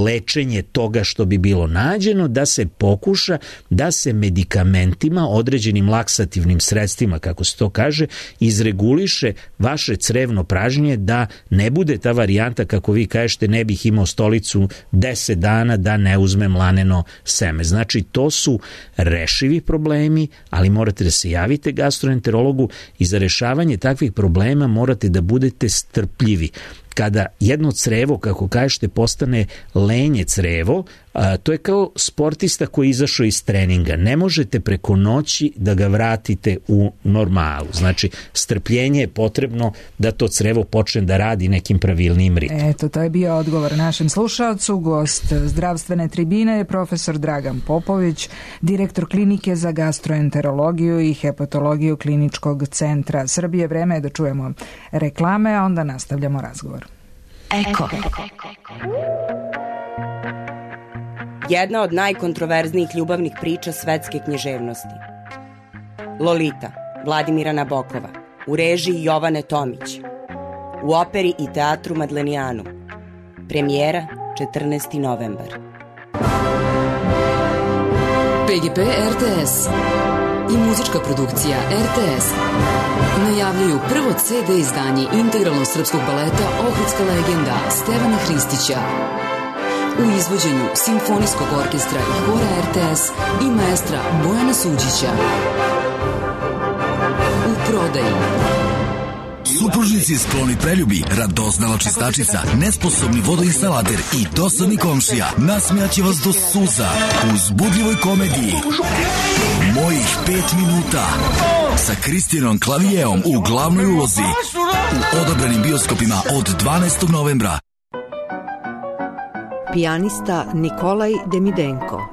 lečenje toga što bi bilo nađeno, da se pokuša da se medikamentima, određenim laksativnim sredstvima, kako se to kaže, izreguliše vaše crevno pražnjenje, da ne bude ta varijanta, kako vi kažete, ne bih imao stolicu 10 dana da ne uzmem laneno seme. Znači, to su rešivi problemi, ali morate da se javite gastroenterologu i za rešavanje takvih problema morate da budete strpljivi. Kada jedno crevo, kako kažete, postane lenje crevo, to je kao sportista koji je izašao iz treninga. Ne možete preko noći da ga vratite u normalu. Znači, strpljenje je potrebno da to crevo počne da radi nekim pravilnim ritmom. Eto, to je bio odgovor našem slušalcu. Gost zdravstvene tribine je profesor Dragan Popović, direktor klinike za gastroenterologiju i hepatologiju Kliničkog centra Srbije. Vreme je da čujemo reklame, a onda nastavljamo razgovor. Eko. Jedna od najkontroverznijih ljubavnih priča svetske književnosti. Lolita, Vladimira Nabokova, u režiji Jovane Tomić, u operi i teatru Madlenijanu. Premijera 14. novembar. PGP RTS i muzička produkcija RTS najavljuju prvo CD izdanje integralnog srpskog baleta Ohridska legenda Stevana Hristića u izvođenju Simfonijskog orkestra i hora RTS i maestra Bojana Suđića. U prodaji supružnici skloni preljubi, radoznala čistačica, nesposobni vodoinstalater i dosadni komšija nasmijaće vas do suza u uzbudljivoj komediji Mojih 5 minuta sa Kristijanom Klavijeom u glavnoj ulozi u odabranim bioskopima od 12. novembra. Pijanista Nikolaj Demidenko.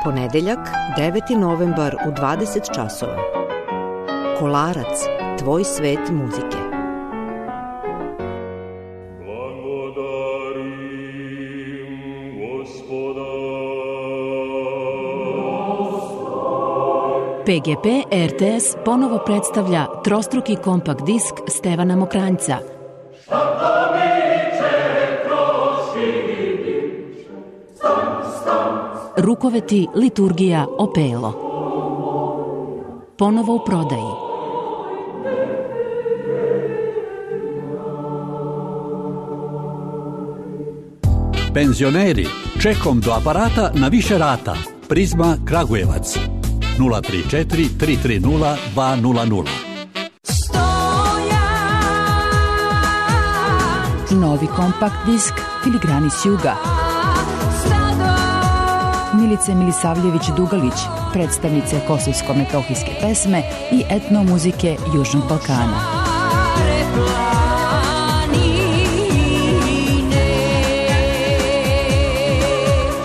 Ponedeljak, 9. novembar u 20 časova. Kolarac, tvoj svet muzike. PGP RTS ponovo predstavlja trostruki kompakt disk Stevana Mokranjca. Rukoveti, liturgija, opelo. Ponovo u prodaji. Penzioneri, čekom do aparata na više rata. Prizma Kragujevac 034 330 200. Novi kompakt disk Filigrani s juga. Milice Milisavljević-Dugalić, predstavnice kosovsko-metohijske pesme i etnomuzike Južnog Balkana.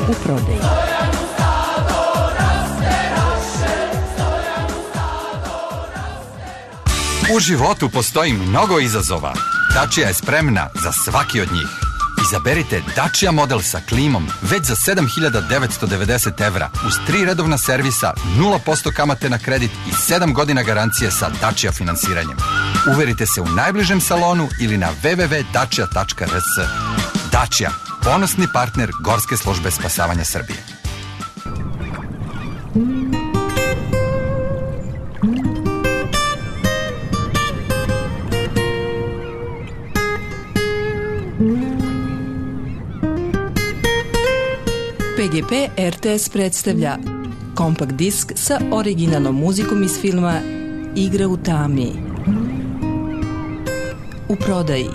U prodaji. U životu postoji mnogo izazova. Dacia je spremna za svaki od njih. Izaberite Dacia model sa klimom već za 7.990 evra uz 3 redovna servisa, 0% kamate na kredit i 7 godina garancije sa Dacia finansiranjem. Uverite se u najbližem salonu ili na www.dacia.rs. Dacia, ponosni partner Gorske službe spasavanja Srbije. PGP RTS predstavlja kompakt disk sa originalnom muzikom iz filma Igra u tami. U prodaji.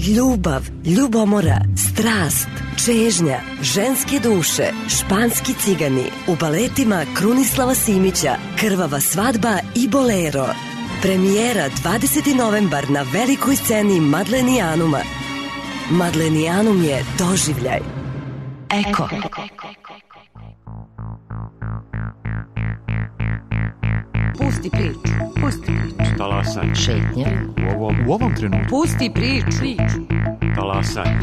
Ljubav, ljubomora, strast, čežnja, ženske duše, španski cigani, u baletima Krunislava Simića, Krvava svadba i Bolero. Premijera 20. novembar na velikoj sceni Madlenijanuma. Madlenijanum je doživljaj. Eko. Pusti priču. Pusti priču. Talasaj. Šetnja. U ovom trenutku. Pusti priču. Talasaj.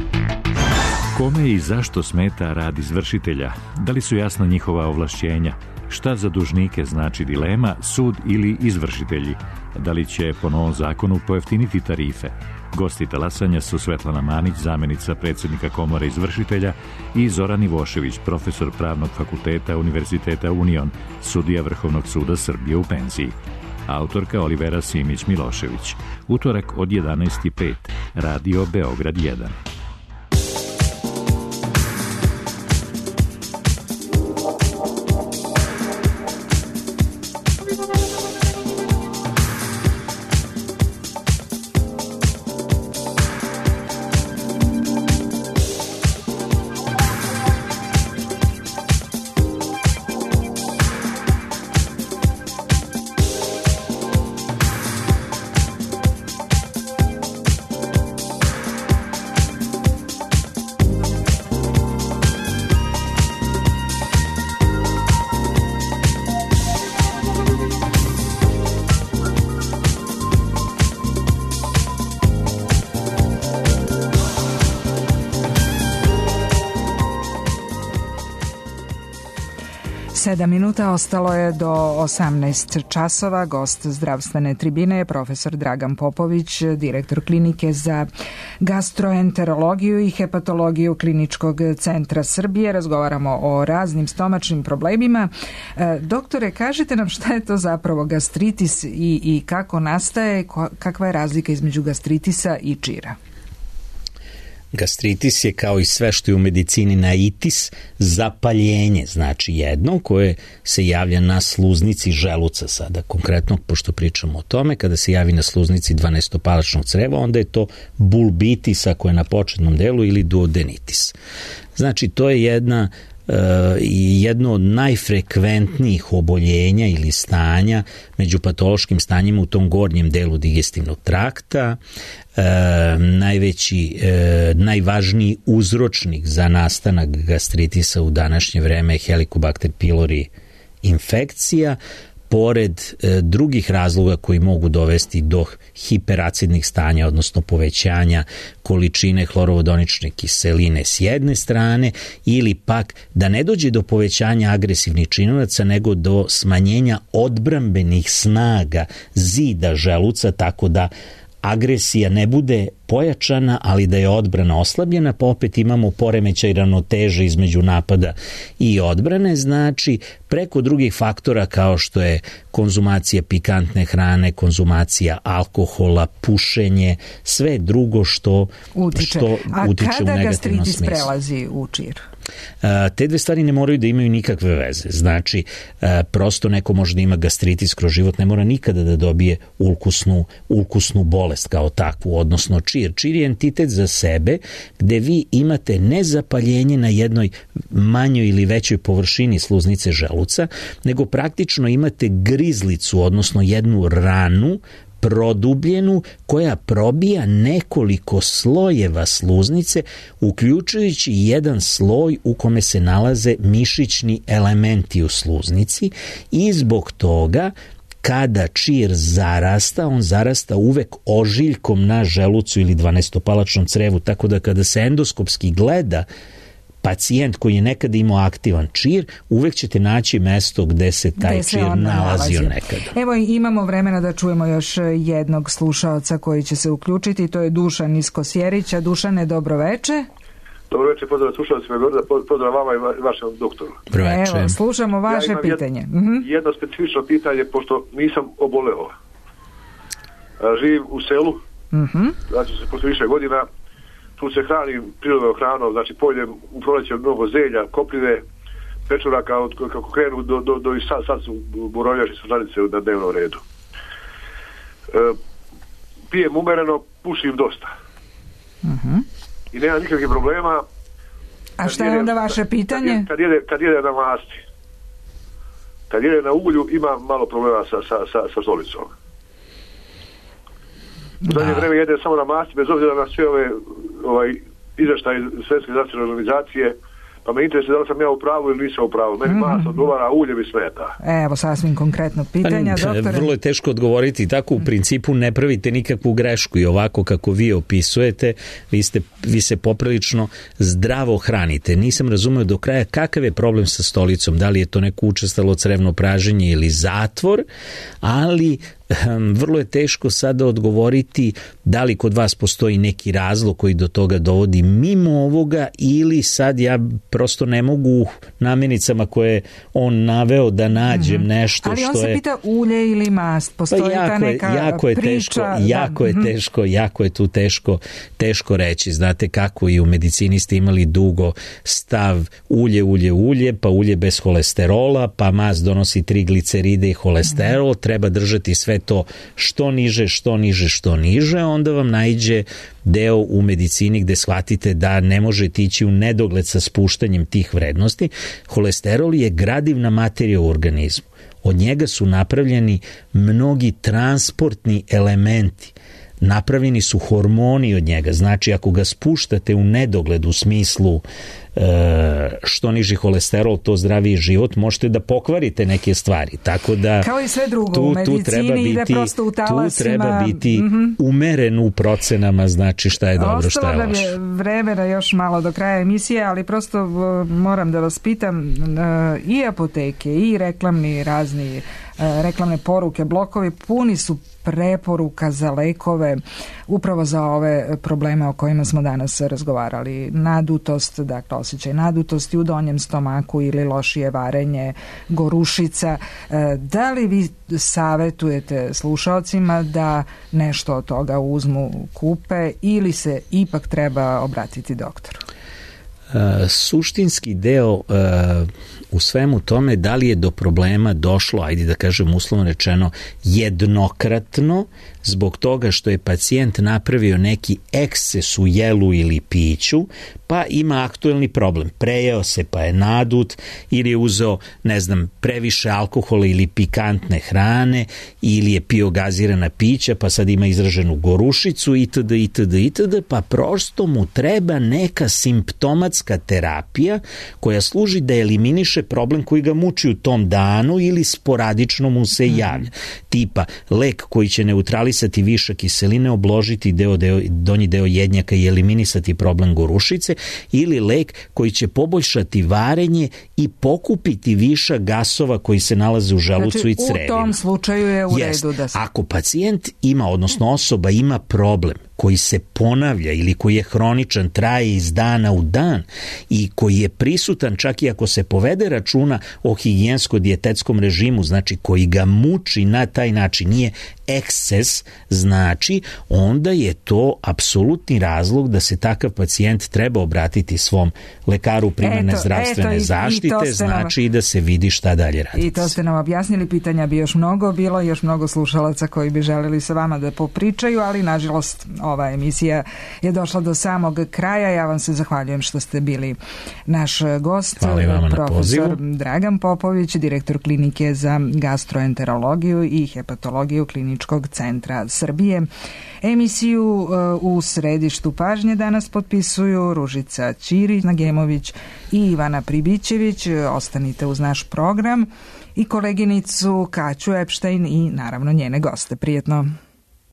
Kome i zašto smeta rad izvršitelja? Da li su jasna njihova ovlašćenja? Šta za dužnike znači dilema, sud ili izvršitelji? Da li će po novom zakonu pojeftiniti tarife? Gosti talasanja su Svetlana Manić, zamenica predsjednika Komore izvršitelja, i Zoran Ivošević, profesor Pravnog fakulteta Univerziteta Union, sudija Vrhovnog suda Srbije u penziji. Autorka Olivera Simić-Milošević. Utorak od 11:05. Radio Beograd 1. Sedam minuta ostalo je do 18 časova. Gost zdravstvene tribine je profesor Dragan Popović, direktor klinike za gastroenterologiju i hepatologiju Kliničkog centra Srbije. Razgovaramo o raznim stomačnim problemima. Doktore, kažite nam šta je to zapravo gastritis i kako nastaje, kakva je razlika između gastritisa i čira? Gastritis je, kao i sve što je u medicini naitis, zapaljenje, znači jedno koje se javlja na sluznici želuca sada. Konkretno, pošto pričamo o tome, kada se javi na sluznici 12-palačnog creva, onda je to bulbitis ako je na početnom delu ili duodenitis. Znači, to je jedno od najfrekventnijih oboljenja ili stanja među patološkim stanjima u tom gornjem delu digestivnog trakta. Najvažniji uzročnik za nastanak gastritisa u današnje vreme je Helicobacter pylori infekcija, pored drugih razloga koji mogu dovesti do hiperacidnih stanja, odnosno povećanja količine hlorovodonične kiseline s jedne strane, ili pak da ne dođe do povećanja agresivnih činilaca, nego do smanjenja odbrambenih snaga zida želuca, tako da agresija ne bude pojačana, ali da je odbrana oslabljena, pa opet imamo poremećaj ravnoteže između napada i odbrane. Znači, preko drugih faktora kao što je konzumacija pikantne hrane, konzumacija alkohola, pušenje, sve drugo što utiče u negativnom smislu. A kada gastritis prelazi u čir? Te dve stvari ne moraju da imaju nikakve veze. Znači, prosto neko može da ima gastritis kroz život, ne mora nikada da dobije ulkusnu bolest kao takvu, odnosno čir. Čir je entitet za sebe gde vi imate ne zapaljenje na jednoj manjoj ili većoj površini sluznice želuca, nego praktično imate grizlicu, odnosno jednu ranu produbljenu koja probija nekoliko slojeva sluznice, uključujući jedan sloj u kome se nalaze mišićni elementi u sluznici, i zbog toga kada čir zarasta, on zarasta uvek ožiljkom na želucu ili dvanestopalačnom crevu, tako da kada se endoskopski gleda pacijent koji je nekada imao aktivan čir, uvek ćete naći mesto gde se taj čir nalazio nekada. Evo, imamo vremena da čujemo još jednog slušaoca koji će se uključiti, to je Dušan iz Kosjerića. Dušane, dobroveče. Dobro večer, pozdrav slušalcima, pozdrav vama i vašem doktoru. Evo, slušamo vaše pitanje. Jedno specifično pitanje, pošto nisam oboleo. Živim u selu, znači se posle više godina, tu se hranim prirodnom hranom, znači pojedem u proleće mnogo zelja, koprive, pečuraka, kako krenu do i sad su borovljaši srnanice na dnevnom redu. Pijem umereno, pušim dosta. I nema nikakvih problema. A šta je onda vaše pitanje? Kad jede na masti. Kad jede na uglju ima malo problema sa stolicom. U zadnje vreme jede samo na masti, bez obzira na sve ove izveštaje Svetske zdravstvene organizacije, pa me interesuje da li sam ja u pravu ili nisam u pravu. Meni masa odgovara, ulje mi smeta. Evo sasvim konkretno pitanja, doktore. Vrlo je teško odgovoriti, tako u principu ne pravite nikakvu grešku i ovako kako vi opisujete, vi se poprilično zdravo hranite. Nisam razumeo do kraja kakav je problem sa stolicom, da li je to neko učestalo crevno praženje ili zatvor, ali vrlo je teško sada odgovoriti da li kod vas postoji neki razlog koji do toga dovodi mimo ovoga, ili sad ja prosto ne mogu u namirnicama koje on naveo da nađem nešto ali što je... Ali on se pita ulje ili mast, postoji ta neka priča... Jako je tu teško reći. Znate kako i u medicini ste imali dugo stav ulje, pa ulje bez holesterola, pa mast donosi trigliceride i holesterol, treba držati sve to što niže, onda vam naiđe deo u medicini gde shvatite da ne možete ići u nedogled sa spuštanjem tih vrednosti. Holesterol je gradivna materija u organizmu. Od njega su napravljeni mnogi transportni elementi. Napravljeni su hormoni od njega. Znači, ako ga spuštate u nedogled u smislu što niži holesterol, to zdraviji život, možete da pokvarite neke stvari. Tako da kao i sve drugo u medicini ide prosto u talasima. Tu treba biti umeren u procenama, znači šta je dobro, šta je loše. Ostalo nam je vremena još malo do kraja emisije, ali prosto moram da vas pitam, i apoteke i reklamne poruke, blokovi puni su preporuka za lekove upravo za ove probleme o kojima smo danas razgovarali. Nadutost, dakle osjećaj nadutosti u donjem stomaku ili lošije varenje, gorušica. Da li vi savetujete slušalcima da nešto od toga uzmu, kupe, ili se ipak treba obratiti doktoru? Suštinski deo u svemu tome, da li je do problema došlo, ajde da kažem uslovno rečeno, jednokratno, zbog toga što je pacijent napravio neki eksces u jelu ili piću, pa ima aktuelni problem. Prejeo se pa je nadut, ili je uzeo, previše alkohola ili pikantne hrane, ili je pio gazirana pića, pa sad ima izraženu gorušicu, itd., pa prosto mu treba neka simptomatska higijenská terapija koja služi da eliminiše problem koji ga muči u tom danu ili sporadično mu se javlja. Tipa lek koji će neutralisati višak kiseline, obložiti donji deo jednjaka i eliminisati problem gorušice, ili lek koji će poboljšati varenje i pokupiti višak gasova koji se nalaze u želucu i crevima. U tom slučaju je u redu da se... Ako pacijent ima, odnosno osoba ima problem koji se ponavlja ili koji je hroničan, traje iz dana u dan i koji je prisutan čak i ako se povede računa o higijensko-dijetetskom režimu, znači koji ga muči na taj način, nije eksces, znači onda je to apsolutni razlog da se takav pacijent treba obratiti svom lekaru primarne zdravstvene zaštite, znači i da se vidi šta dalje raditi. I to ste nam objasnili, pitanja bi još mnogo bilo, još mnogo slušalaca koji bi želeli sa vama da popričaju, ali nažalost ova emisija je došla do samog kraja. Ja vam se zahvaljujem što ste bili naš gost. Profesor Dragan Popović, direktor klinike za gastroenterologiju i hepatologiju Kliničkog centra Srbije. Emisiju u središtu pažnje danas potpisuju Ružica Ćirić-Nagemović i Ivana Pribićević. Ostanite uz naš program i koleginicu Kaću Epštajn i naravno njene goste. Prijetno.